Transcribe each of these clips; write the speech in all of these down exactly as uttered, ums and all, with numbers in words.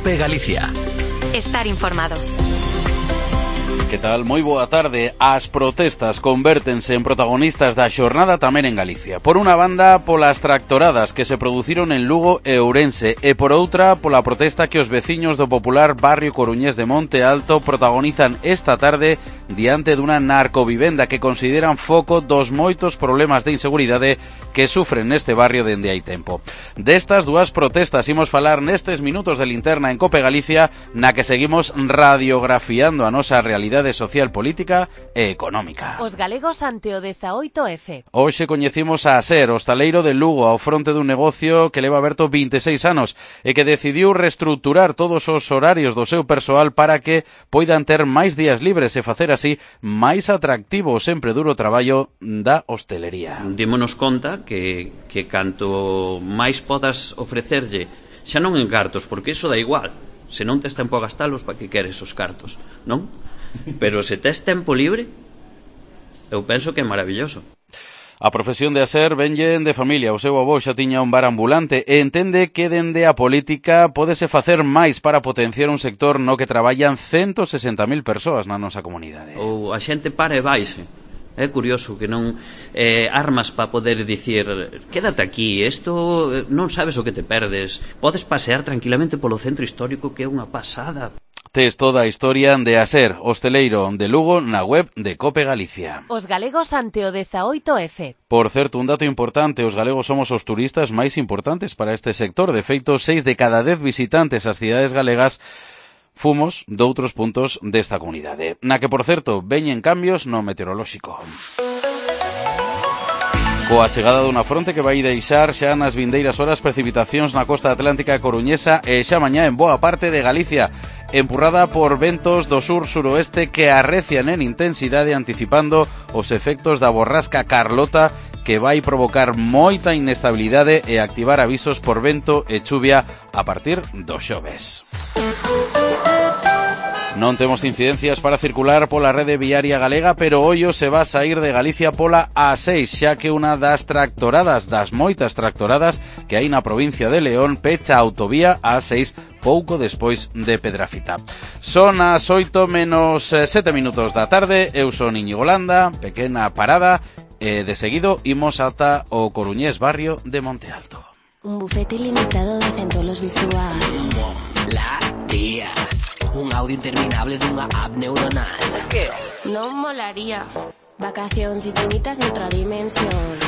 COPE Galicia. Estar informado. Que tal? Moi boa tarde. As protestas convértense en protagonistas da xornada tamén en Galicia. Por unha banda, polas tractoradas que se produciron en Lugo e Ourense, e por outra, pola protesta que os veciños do popular barrio coruñés de Monte Alto protagonizan esta tarde diante dunha narcovivenda que consideran foco dos moitos problemas de inseguridade que sufren neste barrio dende hai tempo. Destas dúas protestas imos falar nestes minutos de linterna en COPE Galicia, na que seguimos radiografiando a nosa realidade social, política e económica. Os galegos ante o dezaoito F. Hoxe coñecimos a Aser, hostaleiro de Lugo, ao fronte dun negocio que leva aberto vinte e seis anos e que decidiu reestructurar todos os horarios do seu persoal para que poidan ter máis días libres e facer así máis atractivo o sempre duro traballo da hostelería. Démonos conta que, que canto máis podas ofrecerlle, xa non en cartos, porque iso dá igual. Se non tes tempo a gastalos, para que queres os cartos, non? Pero se tes tempo libre, eu penso que é maravilloso. A profesión de Aser venlle de familia. O seu avó xa tiña un bar ambulante e entende que dende a política pódese facer máis para potenciar un sector no que traballan ciento sesenta mil persoas na nosa comunidade. Ou a xente para e vaise. É curioso que non eh, armas para poder dicir quédate aquí, isto non sabes o que te perdes. Podes pasear tranquilamente polo centro histórico, que é unha pasada. Tes toda a historia de Aser, hosteleiro de Lugo, na web de COPE Galicia. Os galegos ante o dezaoito F. Por certo, un dato importante, os galegos somos os turistas máis importantes para este sector. De feito, seis de cada dez visitantes ás cidades galegas fomos doutros puntos desta comunidade, na que, por certo, veñen cambios no meteorolóxico. Coa chegada dunha fronte que vai deixar xa nas vindeiras horas precipitacións na costa atlántica coruñesa e xa mañá en boa parte de Galicia, empurrada por ventos do sur-suroeste que arrecian en intensidade, anticipando os efectos da borrasca Carlota, que vai provocar moita inestabilidade e activar avisos por vento e chuvia a partir do xoves. Non temos incidencias para circular pola rede viaria galega, pero ollo se va a sair de Galicia pola A seis, xa que unha das tractoradas, das moitas tractoradas que hai na provincia de León, pecha a autovía A seis pouco despois de Pedrafita. Son as oito menos sete minutos da tarde, eu son Íñigo Landa, pequena parada, e de seguido imos ata o coruñés barrio de Monte Alto. Un bufete ilimitado de centolos virtual. La tía. Un audio interminable dunha app neuronal. Que? Non molaría. Vacacións infinitas noutra dimensión.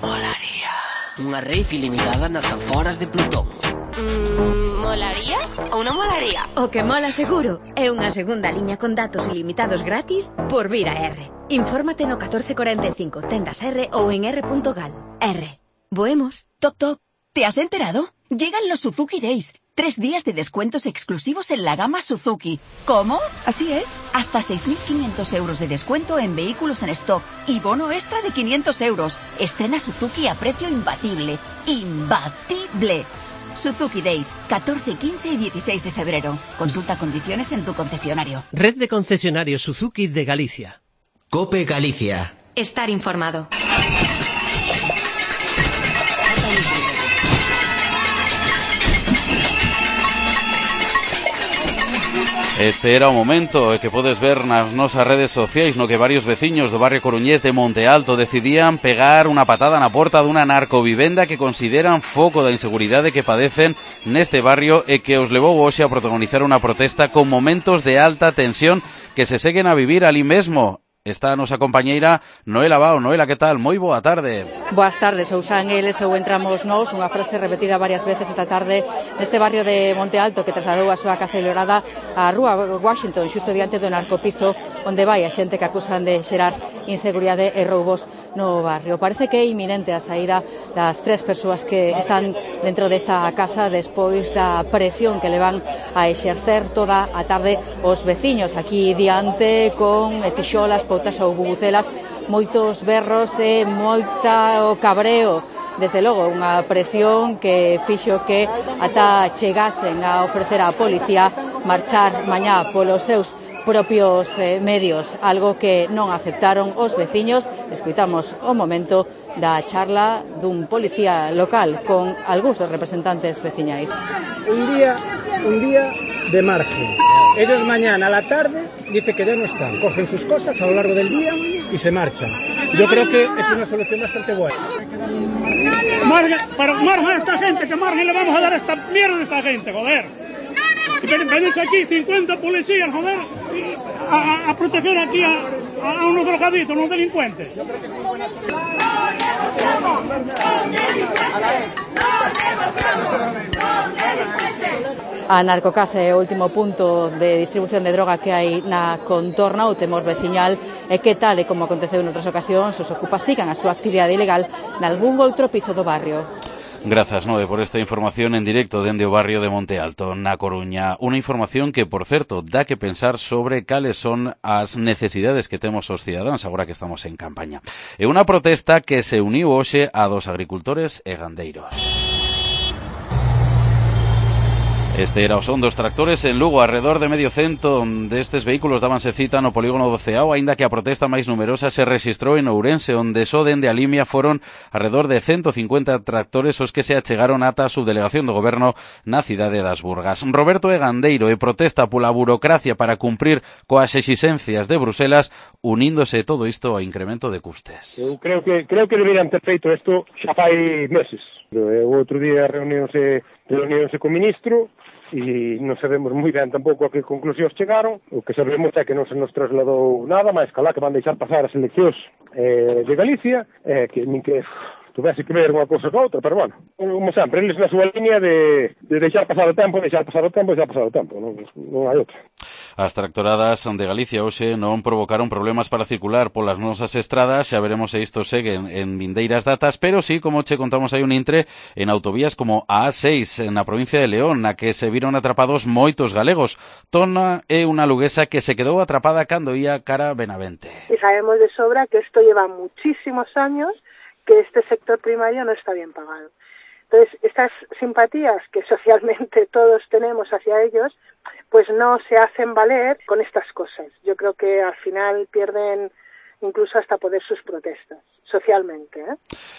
Molaría. Unha rave ilimitada nas aforas de Plutón. Mm, molaría ou non molaría? O que mola seguro é unha segunda liña con datos ilimitados gratis por vir a R. Infórmate no catorce cuarenta y cinco, tendas R ou en r punto gal. R. Boemos. Toc, toc. ¿Te has enterado? Llegan los Suzuki Days. Tres días de descuentos exclusivos en la gama Suzuki. ¿Cómo? Así es. Hasta seis mil quinientos euros de descuento en vehículos en stock y bono extra de quinientos euros. Estrena Suzuki a precio imbatible. ¡Imbatible! Suzuki Days, catorce, quince y dieciséis de febrero. Consulta condiciones en tu concesionario. Red de concesionarios Suzuki de Galicia. COPE Galicia. Estar informado. Este era o momento que podes ver nas nosas redes sociais no que varios veciños do barrio coruñés de Monte Alto decidían pegar unha patada na porta dunha narcovivenda que consideran foco da inseguridade que padecen neste barrio e que os levou hoxe a protagonizar unha protesta con momentos de alta tensión que se seguen a vivir ali mesmo. Está a nosa compañeira Noela Bao. Noela, que tal? Moi boa tarde. Boas tardes, ou san eles ou entramos nós, unha frase repetida varias veces esta tarde neste barrio de Monte Alto que trasladou a súa casa celebrada á rúa Washington, xusto diante do narcopiso onde vai a xente que acusan de xerar inseguridade e roubos no barrio. Parece que é inminente a saída das tres persoas que están dentro desta casa despois da presión que le van a exercer toda a tarde os veciños aquí diante con tixolas, botas ou bubucelas, moitos berros e moita o cabreo. Desde logo, unha presión que fixo que ata chegasen a ofrecer á policía marchar mañá polos seus propios eh, medios, algo que non aceptaron os veciños. Escoitamos o momento da charla dun policía local con algúns dos representantes veciñais. Un día, un día de margen. Ellos mañana a la tarde dice que ya no están, cogen sus cosas a lo largo del día y se marchan. Yo creo que es una solución bastante buena. Margen, pero margen a esta gente, que margen le vamos a dar a esta mierda a esta gente, joder. Y venirse aquí cincuenta policías, joder, a, a proteger aquí a, a unos drogaditos, unos delincuentes. A Narcocasa é o último punto de distribución de droga que hai na contorna. O temor veciñal é que, tal e como aconteceu en outras ocasións, os ocupas sigan a súa actividade ilegal nalgún outro piso do barrio. Grazas, Nove, por esta información en directo dende o barrio de Monte Alto, na Coruña. Unha información que, por certo, dá que pensar sobre cales son as necesidades que temos os cidadáns agora que estamos en campaña. É unha protesta que se uniu hoxe a dos agricultores e gandeiros. Este era o son dos tractores en Lugo. Arredor de medio cento destes vehículos dábanse cita no polígono do Ceao, aínda que a protesta máis numerosa se rexistrou en Ourense, onde só dende a Limia foron arredor de ciento cincuenta tractores os que se achegaron ata a subdelegación do goberno na cidade das Burgas. Roberto é gandeiro e protesta pola burocracia para cumprir coas exixencias de Bruselas, uníndose todo isto ao incremento de custes. Eu creo que creo que deberían ter feito isto xa fai meses. O outro día reuniónse reuniónse co ministro e non sabemos moi ben tampouco a que conclusións chegaron. O que sabemos é que non se nos trasladou nada, máis calá que van deixar pasar as eleccións eh, de Galicia, eh, que nin que tuvese que ver unha cousa con outra, pero bueno, como sempre, eles na súa línea de, de deixar pasar o tempo, deixar pasar o tempo, deixar pasar o tempo, non, non hai outra. As tractoradas de Galicia hoxe non provocaron problemas para circular polas nosas estradas, xa veremos se isto segue en, en vindeiras datas, pero sí, como che contamos, hai un intre en autovías como a A seis, na provincia de León, na que se viron atrapados moitos galegos. Tona é unha luguesa que se quedou atrapada cando ia cara a Benavente. Y sabemos de sobra que esto lleva muchísimos años, que este sector primario no está bien pagado. Entonces, estas simpatías que socialmente todos tenemos hacia ellos, pues no se hacen valer con estas cosas. Yo creo que al final pierden incluso hasta poder sus protestas, socialmente. ¿eh?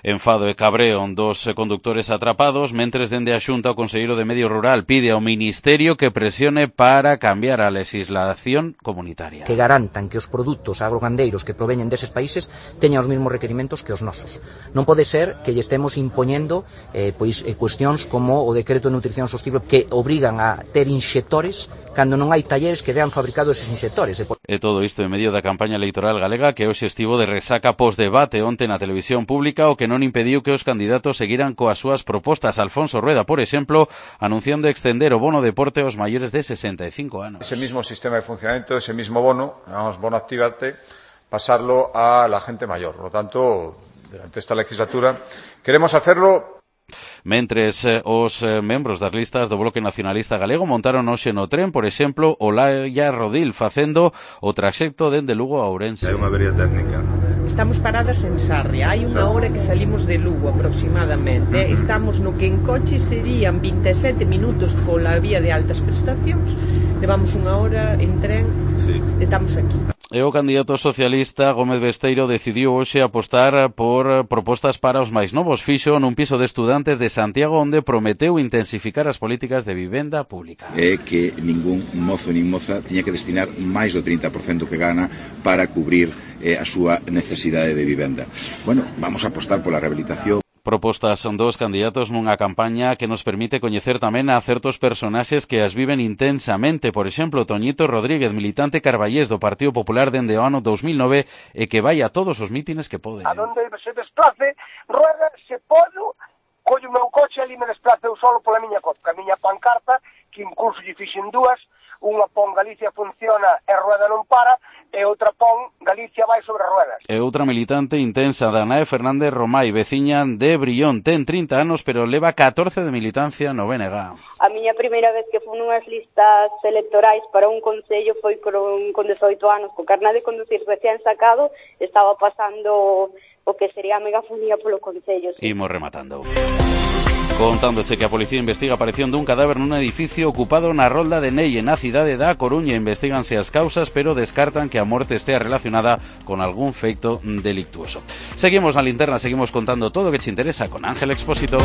Enfado e cabreo dos conductores atrapados, mentres dende a Xunta o Conselleiro de Medio Rural pide ao Ministerio que presione para cambiar a legislación comunitaria. Que garantan que os produtos agrogandeiros que proveñen deses países teñan os mesmos requerimentos que os nosos. Non pode ser que lle estemos impoñendo eh, pois, eh, cuestións como o decreto de nutrición sostible que obrigan a ter inxectores cando non hai talleres que dean fabricado eses inxectores. E, por... e todo isto en medio da campaña electoral galega que hoxe estivo de resaca pos-debate onte na televisión pública, o que non impediu que os candidatos seguiran coas súas propostas. Alfonso Rueda, por exemplo, anunciando extender o bono deporte aos maiores de sesenta y cinco anos. Ese mismo sistema de funcionamiento, ese mismo bono, llamamos bono actívate, pasarlo a la gente mayor. Por lo tanto, durante esta legislatura queremos hacerlo. Mentres eh, os eh, membros das listas do Bloque Nacionalista Galego montaron hoxe no tren, por exemplo, Olaya Rodil facendo o traxecto dende Lugo a Ourense. Hai unha avería técnica. Estamos paradas en Sarria, hai unha hora que salimos de Lugo aproximadamente. Estamos no que en coche serían vinte e sete minutos pola vía de altas prestacións. Levamos unha hora en tren, sí. Estamos aquí. E o candidato socialista Gómez Besteiro decidiu hoxe apostar por propostas para os máis novos. Fixo nun piso de estudantes de Santiago onde prometeu intensificar as políticas de vivenda pública. É que ningún mozo nin moza tiña que destinar máis do trinta por cento que gana para cubrir eh, a súa necesidade de vivenda. Bueno, vamos a apostar pola rehabilitación. Propostas son dos candidatos nunha campaña que nos permite coñecer tamén a certos personaxes que as viven intensamente. Por exemplo, Toñito Rodríguez, militante carballés do Partido Popular dende o ano dos mil nove e que vai a todos os mítines que pode. A donde se desplace, rueda, se podo, collo o meu coche ali me desplace eu solo pola miña copa, a miña pancarta, que incluso lle fixen dúas, unha pon Galicia funciona e rueda non para, e outra pon Galicia vai sobre ruedas. E outra militante intensa, Danae Fernández Romai, veciña de Brión, ten trinta anos, pero leva catorce de militancia no B N G. A miña primeira vez que fui nunhas listas electorais para un concello foi con, con dezoito anos, co carné de conducir recién sacado, estaba pasando o que sería a megafonía polo concello. Imos rematando. Contándoche que a policía investiga a aparición dun cadáver nun edificio ocupado na rolda de Nelle na cidade da Coruña. Investíganse as causas, pero descartan que a morte estea relacionada con algún feito delictuoso. Seguimos na linterna, seguimos contando todo o que te interesa con Ángel Expósito.